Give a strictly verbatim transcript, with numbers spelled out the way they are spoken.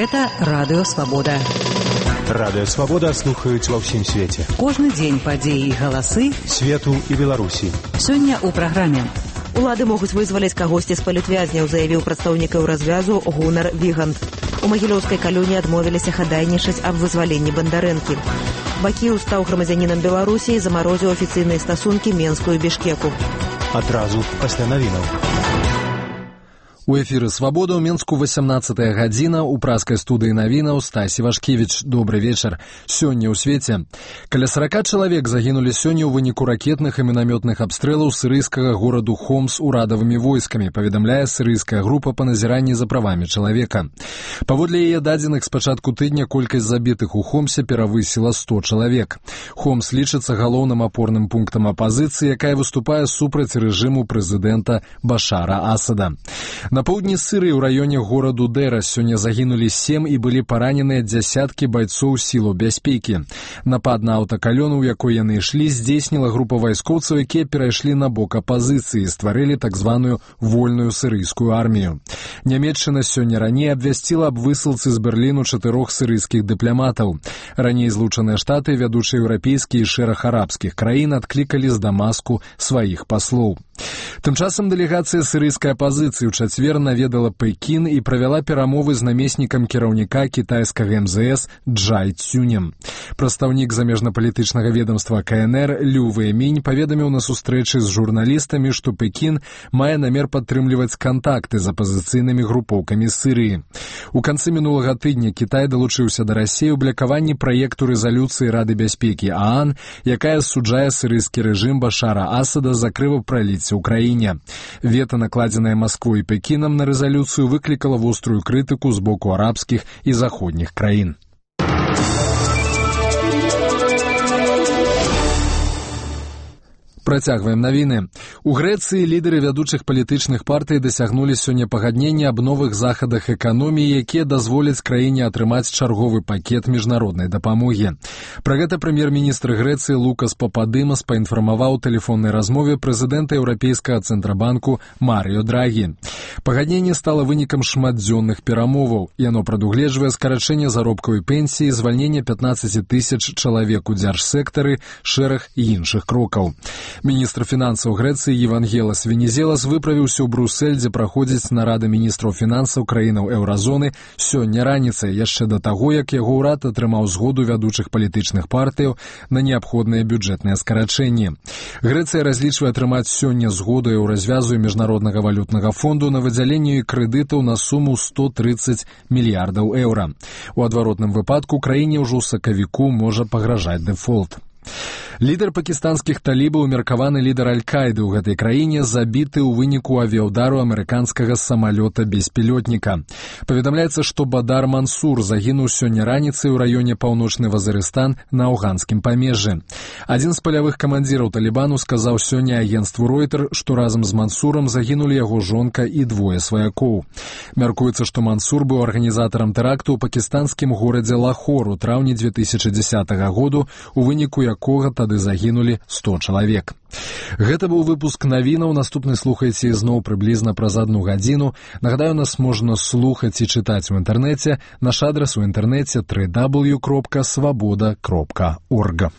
Гэта Радыё Свабода. Радыё Свабода слухаюць ва ўсім свеце. Кожны дзень падзеі і галасы свету і Беларусі. Сёння ў праграме. Улады могуць вызваліць кагосьці з палітвязняў, заявіў прадстаўнік Еўразвязу Гунар Вігант. У Магілёўскай калоніі адмовіліся хадайнічаць аб вызваленні Бандарэнкі. Бакіў стаў грамадзянінам Беларусі і замарозіў афіцыйныя стасункі Менску і Бішкеку. Адразу пасля навінаў. У эфіры «Свабода» ў Менску васямнаццатая гадзіна, у праскай студыі навінаў Стасі Вашкевіч. Добры вечар. Сёння ў свеце. Каля сорока чалавек загінулі сёння ў выніку ракетных і мінамётных абстрэлаў сірыйскага гораду Хомс урадавымі войскамі, паведамляе сірыйская група па назіранні за правамі чалавека. Паводле яе дадзеных, з пачатку тыдня колькасць забітых у Хомсе перавысіла сто чалавек. Хомс лічыцца галоўным апорным пунктам апазіцыі, якая выступае супраць рэжыму прэзідэнта Башара Асада. На поўдні Сірыі ў раёне гораду Дэра сёння загінулі сем і былі параненыя дзясяткі байцоў сілаў бяспекі. Напад на аўтакалёну, у якой яны ішлі, здзейсніла група вайскоўцаў, якія перайшлі на бок апазіцыі і стварылі так званую вольную сірыйскую армію. Нямецчына сёння раней абвясціла аб высылцы з Берліну чатырох сірыйскіх дыпламатаў. Раней Злучаныя Штаты, вядучыя еўрапейскія і шэраг арабскіх краін адклікалі з Дамаску сваіх паслоў. Тым часам дэлегацыя сірыйскай апазіцыі ў чацвер наведала Пекін і правяла перамовы з намеснікам кіраўніка кітайскага эм зэ эс Джай Цюнем. Прадстаўнік замежнапалітычнага ведамства ка эн эр Лю Вэймінь паведаміў на сустрэчы з журналістамі, што Пекін мае намер падтрымліваць кантакты з апазіцыйнымі групоўкамі Сірыі. У канцы мінулага тыдня Кітай далучыўся да Расіі ў блакаванні праекту рэзалюцыі Рады бяспекі ААН, якая асуджае сірыйскі рэжым Башара Асада за крывапраліцце ў краіне. Вета, накладзенае Масквой і Пекінам на рэзалюцыю, выклікала вострую крытыку з боку арабскіх і заходніх краін. Працягваем навіны. У Грэцыі лідары вядучых палітычных партый дасягнулі сёння пагаднення аб новых захадах эканоміі, якія дазволяць краіне атрымаць чарговы пакет міжнароднай дапамогі. Пра гэта прэм'ер-міністр Грэцыі Лукас Пападымас паінфармаваў у тэлефоннай размове прэзідэнта Еўрапейскага цэнтрабанку Марыё Драгі. Пагадненне стала вынікам шматдзённых перамоваў. Яно прадугледжвае скарачэнне заробкаў і пенсіі, звальненне пятнаццаць тысяч чалавек у дзяржсектары, шэраг іншых крокаў. Міністр фінансаў Грэцыі Евангелас Венізелас выправіўся ў Брусэль, дзе праходзіць нарада міністраў фінансаў краінаў еўразоны сёння раніцай, яшчэ да таго, як яго ўрад атрымаў згоду вядучых палітычных партыяў на неабходныя бюджэтныя скарачэнні. Грэцыя разлічвае атрымаць сёння згоду Еўразвязу і Міжнароднага валютнага фонду на выдзяленне крэдытаў на суму сто трыццаць мільярдаў еўра. У адваротным выпадку краіне ўжо ў сакавіку можа пагражаць дэфолт. Лідар пакістанскіх талібаў, меркаваны лідар Аль-Каіды ў гэтай краіне, забіты ў выніку авіяўдару амерыканскага самалёта-беспілётніка. Паведамляецца, што Бадар Мансур загінуў сёння раніцай у раёне Паўночны Вазарыстан на афганскім памежжы. Адзін з палявых камандзіраў Талібану сказаў сёння агенцтву Ройтер, што разам з Мансурам загінулі яго жонка і двое сваякоў. Мяркуецца, што Мансур быў арганізатарам тэракту ў пакістанскім горадзе Лахор у траўні дзве тысячы дзесятага году, у выніку якога тады загінулі сто чалавек. Гэта быў выпуск навінаў. Наступны слухайце ізноў прыблізна праз адну гадзіну. Нагадаю, нас можна слухаць і чытаць у інтэрнэце. Наш адрас у інтэрнэце дабл ю дабл ю дабл ю кропка свабода кропка орг.